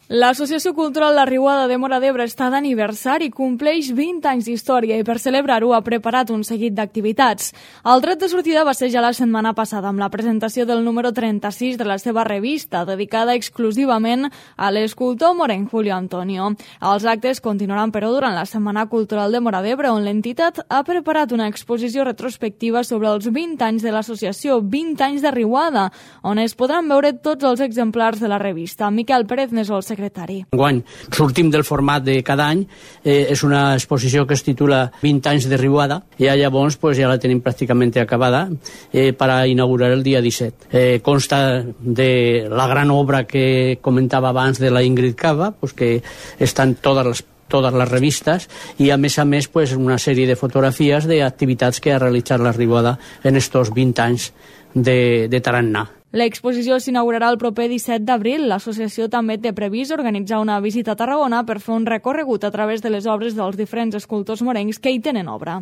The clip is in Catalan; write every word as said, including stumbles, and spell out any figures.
L'Associació Cultural La Riuada de Móra d'Ebre està d'aniversari i compleix vint anys d'història i per celebrar-ho ha preparat un seguit d'activitats. El tret de sortida va ser ja la setmana passada amb la presentació del número trenta-sis de la seva revista, dedicada exclusivament a l'escultor morenc Julio Antonio. Els actes continuaran, però, durant la Setmana Cultural de Móra d'Ebre, on l'entitat ha preparat una exposició retrospectiva sobre els vint anys de l'associació, vint anys de Riuada, on es podran veure tots els exemplars de la revista. Miquel Pérez n'és el secretari. Enguany sortim del format de cada any, eh, és una exposició que es titula vint anys de Riuada, i llavors pues, ja la tenim pràcticament acabada eh, per a inaugurar el dia disset. Eh, consta de la gran obra que comentava abans de la Ingrid Cava, pues, que estan totes les totes les revistes, i a més a més pues, una sèrie de fotografies d'activitats que ha realitzat la Riuada en estos vint anys de, de tarannà. L'exposició s'inaugurarà el proper disset d'abril. L'associació també té previst organitzar una visita a Tarragona per fer un recorregut a través de les obres dels diferents escultors morencs que hi tenen obra.